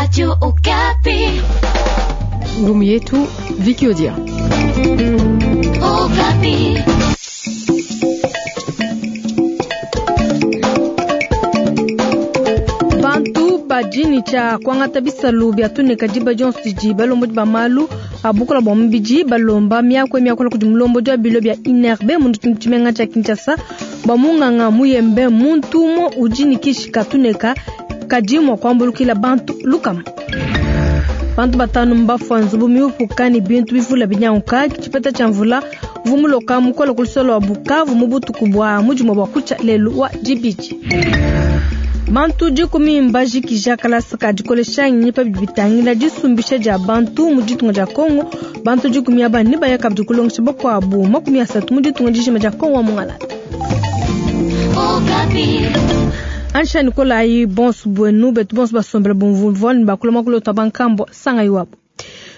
Radio Okapi. Ngumu yetu Viki Odia. Okapi. Bantu badi ne tshia kuangata bisalu bia tuneka diba dionso didi balombodi ba malu a bukola bua mubidi balomba miaku miakula kudi mulombodi wa bilo bia INRB mu tshimenga tshia Kinshasa bua munganga Muyembe muntu umue udi ne kishi ka tuneka kadi mua kuambulukila bantu lukama. Bantu batanu mbafua nzubu miupuka ne bintu bivula binyanguka tshipeta tshia mvula uvua muloka mukola ku lusolo lua Bukavu mu butuku bua mudimue bua kutshia lelu wa dibidi. Bantu dikumi mbajikija kalasa ka dikolesha ngenyi pa bidi bitangila disumbisha dia bantu mu ditunga dia Kongo. Bantu dikumi aba nebaya kabidi kulongesha bakuabu 30 mu ditunga dijima dia Kongo wa Mungalata. Okapi. Ansha Nikolayi bonso buenu betu bonso basombela bumvumvua ne bakula makulu otwa bankambo sanga iwabo.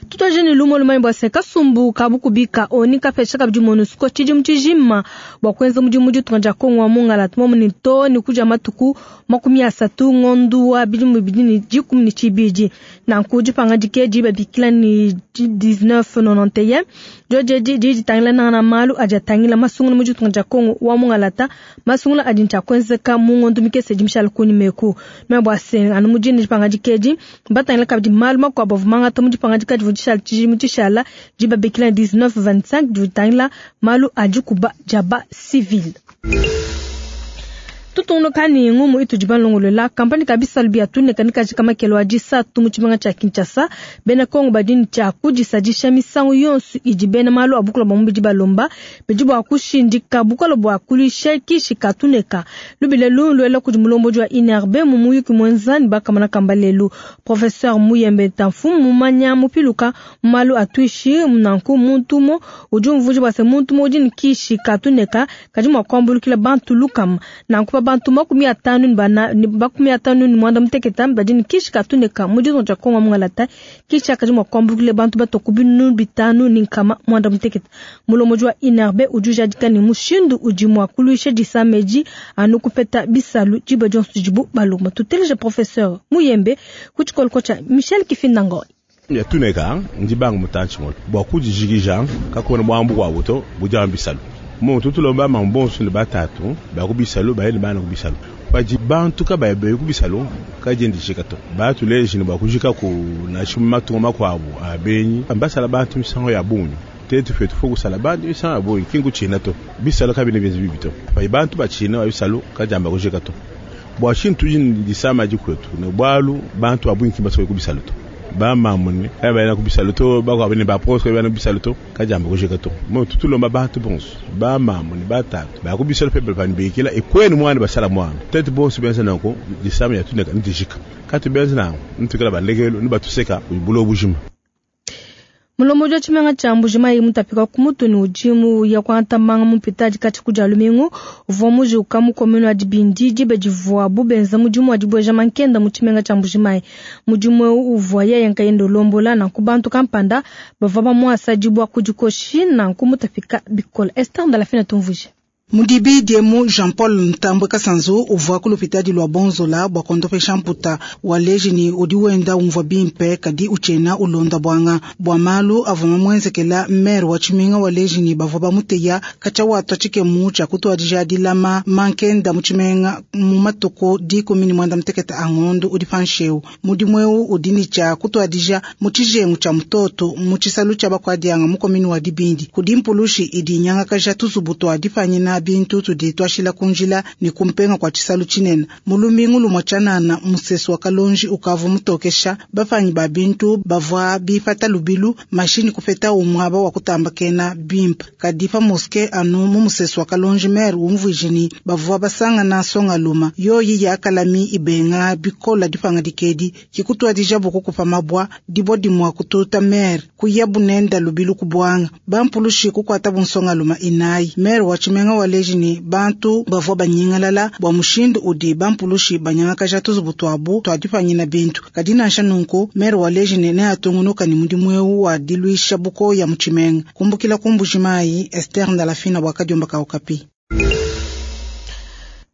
Tutuaje ne lumo lumanyi bua se kasumbu ka bukubika oni kapesha kabidi MONUSCO tshidimu tshijima bua kuenza mudimu mu ditunga dia Kongo wa Mungalata momu ne to ne kudia matuku 30 ngondu wa bidimu 2012. Nanku dipangadika edi babikila ne 1991 diodio edi didi ditangila nangana malu adi atangila masungula mu ditunga dia Kongo wa Mungalata, masungula adi ntshia kuenzeka mu ngondu mikese idi mishale kunyima eku. Meme bua se anu mu dine dipangadika edi batangila kabidi malu makuabu avua mangata mu dipangadika divua dishala tshidimu tshishala dibabikila 1925 divua ditangila malu a dikuba dia ba civil. Tutungunuka ne ngumu itudi balongolola kampani ka bisalu bia tuneka ne kajika makelo a disatu mu tshimenga tshia Kinshasa. Bena Kongo badi ne tshia kudisadisha misangu yonso idi bena malu a bukola bua mubidi balomba bidi bua kushindika bukola bua kuluisha kishi ka tuneka. Lubila lu luela kudi mulombodi wa INRB mu muyuki muenza ne bakamana kamba lelu. Professeur Muyembe Tamfumu mumanya mupiluka mu malu a tuishi nanku muntu umue udi umvuija bua se muntu umue udi ne kishi ka tuneka kadi mua kuambulukila bantu lukama. Nanku pa bantu 54 ne 58 badi ne kishi ka tuneka mu ditunga dia Kongo Mungalata, kishi kadi mua kuambulukila bantu bato ku 5800. Mulombodi wa INRB udi ujadika ne mushindu udi mua kuluisha disama edi anu kupeta bisalu diba dionso didibu balomba. Tuteleje Professeur Muyembe ku tshikoloko tshia Michel Kifinda Ngoy. Ya tuneka ndi banga mutantshi mule bua kudijikija kakuena buambu buabu to budi amba bisalu. Muntu tulomba mambonso ne batatu ba ku bisalu baye ne bana ku bisalu. Padi bantu kabaye baye ku bisalu kadiendishika to. Batuleje ne bua kujika ku nansha matunga makuabu a benyi ambasala bantu misango ya bungi. Tetu fetu fo kusala bantu misango ya bungi kingu tshina to. Bisalu kabine bienze bibi to. Padi bantu batshina ba bisalu kadiamba kujika to. Bua tshintu tudi ne disama dikwetu ne bualu bantu ba bungi kibasoke ku bisalu to. Ba mamune kabaye ku bisalu to bakuabu ne ba proche kabaye ku bisalu to kadiamba kujika to. Mo tutulomba bantu bonso ba mamune batatu ba ku bisalu pepe panibikila ekwenu mwana basala mwana. Tetu bonso benza nanku disama ya tuneka ndijika. Katu benza nanku ntukela balekelo ne batuseka bulo bujima. Mulombodi wa tshimenga tshia Mbujimayi mutapika ku mutu ne udimu ya kuangata manga mupita dikatshi ku dia lumingu uvua mujuka mu commune wa Dibindi diba divuabu benza mudimu wa dibueja mankenda mu tshimenga tshia Mbujimayi. Mudimu eu uvua yeye nkayende ulombola nanku bantu kampanda bavua bamuasa dibua ku dikoshi nanku mutapika bikole. Esther Ndalafina tumvuije. Mudibi diemu Jean-Paul Ntambwe Kasanzu uvua ku lupitadi lua Bonzola bua kondopesha mputa wa leji ni udi wenda umvua bimpe kadi utshena ulonda bwanga bua malu avua mamuenzekela maire wa tshimenga wa leji ni bavua bamuteya katshia watwa tshikemu tshia kutuadija dilama mankenda mu tshimenga mu matuku 18 a ngondu udi pansheu. Mudimu eu udi ne tshia kutuadija mu tshijengu tshia mutoto mu tshisalu tshia bakuadianga mu komini wa Dibindi kudi mpulushi idi inyangakaja tuzubu tua dipanyina bintu tudi twashila kunjila ni kumpenga kwa tshisalu tshinene. Mulumingu lumwa tshanana musesu wa kalonji ukavu mutokesha bapanyi ba bintu bavua bipata lubilu mashini kupeta umwaba wa kutambakena bimpe. Kadi pa moske anu mu musesu wa kalonji maire umvuije ni bavua basangana songa luma yoyi ya kalami ibenga bikola dipanga dikedi kikutwadija bukukupa mabwa dibwa dimwa kututa maire kuya bunenda lubilu kubwanga bampulushi kukwata bunsonga luma inayi. Maire wa tshimenga wa leji ni bantu bavua banyingalala bua mushindu udi bampulushi banyangakaja tuzubu tuabu tuadipanyina bintu. Kadi nansha nunku maire wa leji ni neatungunuka ni mudimu eu wa diluisha buko ya mu tshimenga. Kumbukila ku Mbujimayi, Esther Ndalafina bua kadiomba ka Okapi.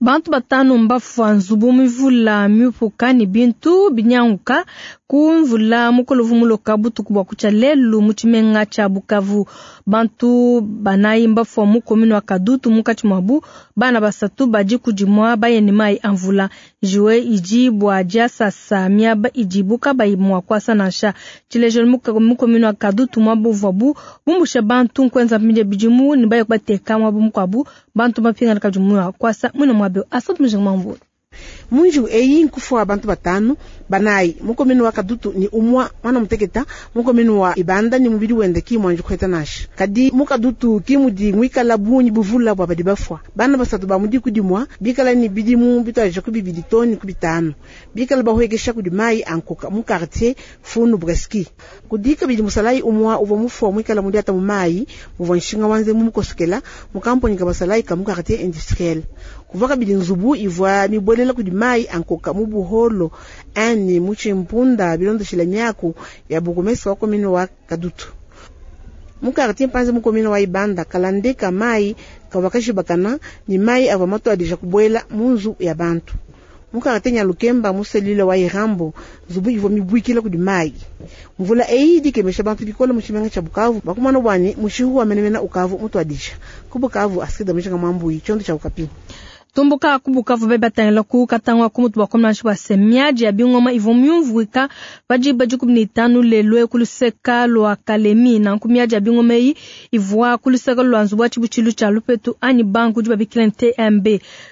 Bantu batanu mbafua nzubu mivula miupuka ne bintu binyanguka ku mvula mukole uvua muloka butuku bua kutshia lelu mu tshimenga tshia Bukavu. Bantu banayi mbafua mu commune wa Kadutu, munkatshi muabu bana basatu badi kudimua baye ne mayi a mvula. Njiwe idi bua diasasa miaba idibu kabayi mua kuasa nansha. Tshilejelu mu commune wa Kadutu muaba uvuabu bumbusha bantu nkuenza mpindia bidimu ne baye kubateka muaba mukuabu, bantu bapingana kabidi mua kuasa muina muabe. Asante mujinga mambu. Munju eyi nkufua bantu batanu banayi mukomenu wa Kadutu ni umwa mwana muteketa mukomenu wa Ibanda ni mubili wende ki mwanju kweta nasha kadi mukadutu ki mudi mwikala bunyi buvula bwa badi bafua bana basatu ba mudi kudimwa bikala ni bidimu bitwaje ku bibidi toni ku bitanu bikala bahwekesha kudi mai ankoka mu quartier Funu Breski kudika bidi musalai umwa uvwa mufua mwikala mudi ata mu mai muvwa nshinga wanze mu mukosokela mu kamponi ka basalai ka mu quartier industriel kuvaka bidi nzubu ivwa mibwelela kudi mai ankoka mu buholo ani muchimpunda bilondoshila miaku ya bukumesi wa komini wa Kadutu mu quartier Mpanze mu komini wa Ibanda kalandeka mai kawakashibakana ni mai ava matwadija kubwela munzu ya bantu mu quartier Nyalukemba muselile wa Irambo nzubu ivwa mibwikila kudi mai mvula eyi dikemesha bantu bikola mu tshimenga tsha Bukavu bakumana bwani mushihu wa menemena ukavu mutwadija ku Bukavu asikida mushinga mwambuyi chondo cha Ukapi. Tumbuka ku Bukavu be batangila ku katangwa ku mutu bakomna bwa semiaji ya bingoma ivo myumvuika baji baji kumi na tano lelwe kuluseka lwa Kalemi na nkumiaji ya bingoma yi ivwa kuluseka lwa nzubu wa chibuchilu cha lupetu anyi banku jiba bikila TMB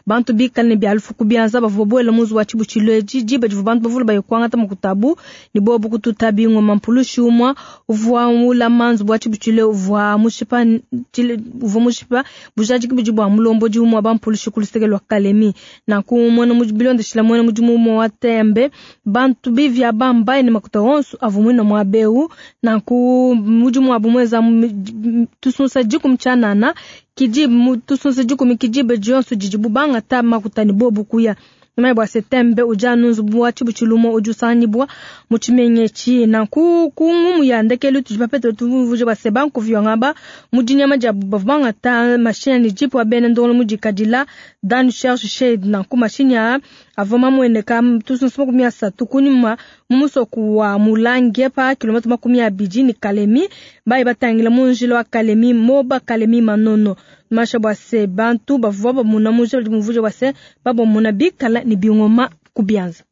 bantu bikala ne byalufu kubianza bavua muzu wa chibuchilu eji jiba jivu bantu bavula bayikwangata mukutabu ni bobu kututa bingoma mpulushi umwa uvwa mula manzu wa chibuchilu uvwa mushipa uvwa mushipa bujaji kibuji bwa mulombo ji umwa bampulushi kuluseka lwa Kalemi na kumwena bilondeshila mwena mudimu umwe wa tembe bantu bivya bambaye ne makuta onso avumwina mwa beu na ku mudimu abu mweza tusunsa jiku mchanana kijibu tusunsa jiku mikijibe jonso jijibu banga ta makuta ni bobu kuya Nyuma bwa setembe uja nunzu bwa chibuchilumo ujusanyibwa muchimenye chi na ku kungumu ya ndekelu tujipapete tuvuje bwa sebanku vyongaba mudinyama ja bavanga ta machine ni jipu abene ndolo mujikadila dan cherche shade na ku machine ya avoma mwene ka tusunsu makumi asatu kunyuma mumusoku wa Mulange pa kilomita 20 ni Kalemi bayi batangila munjilo wa Kalemi moba Kalemi manono masha bwa se bantu bavua bamuna muje muvuje bwa se babamuna bikala ni bingoma kubianza.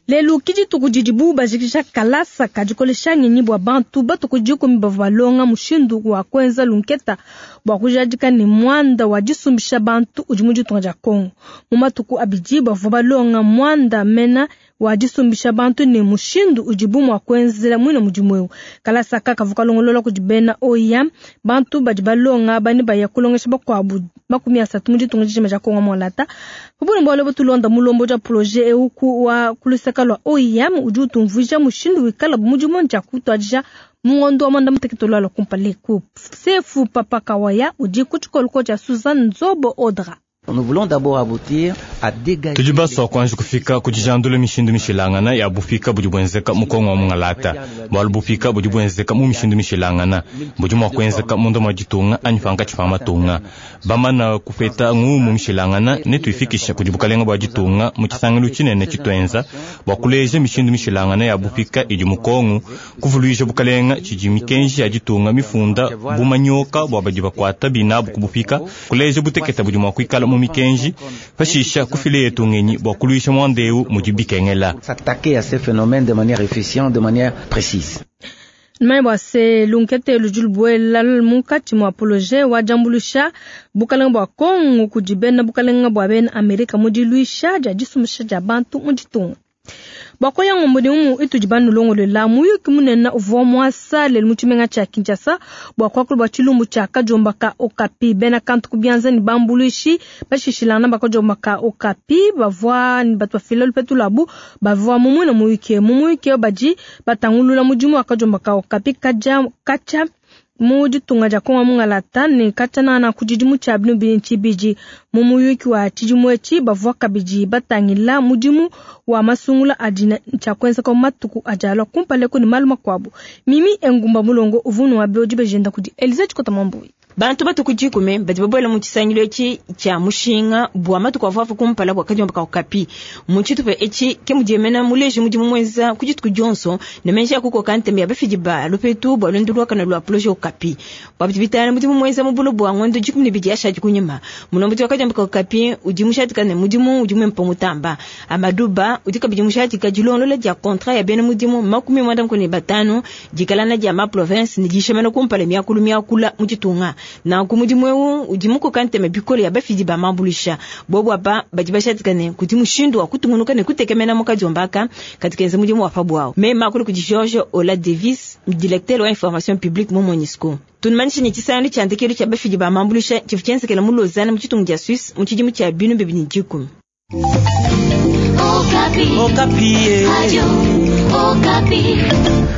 Lelu kidituku didibu bajikisha kalasa kadikolesha ngenyi bwa bantu batuku dikumi bavua balonga mushindu wa kwenza lunketa bwa kujadika ne mwanda wa disumbisha bantu udi mu ditunga dia Kongo. Mu matuku abidi bavua balonga mwanda mena wa disumbisha bantu ne mushindu udibu mua kuenzela mwina mudimu eu. Kalasa kakavu kalongolola kudi bena oya bantu badi balonga bani baya kulongesha bakuabu 30 mu ditunga dijima dia Kongo mwalata. Kubuna bwalo butulonda mulombo dia projet eu ku wa kulusaka lwa OIM udi utumvuija mushindu wikala mudimu nja kutwadija mungondo wa mwanda muteketolo ala kumpale ku Sefu Papa Kawaya udi ku tshikoloko tshia Suzanne Nzobo Odra. Nous voulons d'abord aboutir à dégager. Tudi baswa kuanji kufika kudijandula mishindu mishilangana ya bupika budi bwenzeka mu Kongo wa mungalata. Bwalu bupika budi bwenzeka mu mishindu mishilangana budi mua kuenzeka munda mwa ditunga anyi pankatshi pa matunga. Bamana kupeta ngumu mishilangana ne tuifikisha kudi bukalenga bua ditunga mu tshisangilu tshinene tshituenza bua kuleja mishindu mishilangana ya bupika idi mu Kongo, kuvuluija bukalenga tshidi mikenji ya ditunga mifunda bumanyoka bua badi bakuata binabu ku bupika, kuleja buteketa budi mua kuikala mu mikenji pashisha kufile yetu ngenyi bua kuluisha mwandeu mudi bikengela. S'attaquer à ces phénomènes de manière efficiente, de manière précise. Numanye bua se lunkete ludi lubuela munkatshi mua projet wa diambuluisha bukalenga bua Kongo kudi bena bukalenga bua bena Amerika mu diluisha dia disumbisha dia bantu mu ditunga. Bakoya ngombo umu itudi banulongolela muyuki munene uvua muasa lelu mu tshimenga tshia Kinshasa bua kuakula bua tshilumbu tshia kajomba ka Okapi. Bena kantu kubianza ni bambuluishi bashishilana bakajomba ka Okapi bavua ni batu bafila lupetu lwabu bavua mumwina muyuki mumuyuki badi batangulula mudimu wa kajomba ka Okapi kaja kacha mu ditunga dia Kongo mungalata ne katshana ku tshidimu tshia binu bini tshibidi. Mu muyuki wa tshidimu etshi bavua kabidi batangila mudimu wa masungula adi tshia kuenzeka mu matuku adi alua kumpala ku ne malu makuabu. Mimi Engumba Mulongo uvunu wa bioji bejenda kudi Elize Tshikota Mwambui. Bantu batue ku 10 badi babuela mu tshisangilu etshi tshia mushinga bua matuku avuavu kumpala bua kadiomba ka Okapi. Mu tshitupa etshi ke mudiemena muleji mudimu muenza ku dituku dionso ne menji a kukoka ntema ya bafidi ba lupetu bua luendu luakane lua projet Okapi. Bua bidi bitangila mudimu muenza mu bulo bua ngondo 12 yashadi kunyima. Mulombodi wa kadiomba ka Okapi udi mushadika ne mudimu udi muimpe mutamba. Amadou Ba udi kabidi mushadika dilongolola dia contrat ya bena mudimu 95 dikalana dia ma province ne dishamana kumpala miakulu miakula mu ditunga. Nanku mudimu eu udi mukoka ntema bikole ya bafidi ba mambulisha. Bobu apa badi bashadika ne kudi mushindu wa kutungunuka ne kutekemena mu kadiombaka kadi kenza mudimu wa pa buawu. Mema akulu kudi George Ola Davis, directeur wa information publique mu MONUSCO. Tunumanyishe ne tshisangilu tshia ndekelu tshia bafidi ba mambulisha tshivua tshienzekela mu Lausanne mu tshitungu dia Suisse mu tshidimu tshia 2010. Okapi. Okapi. Radio Okapi.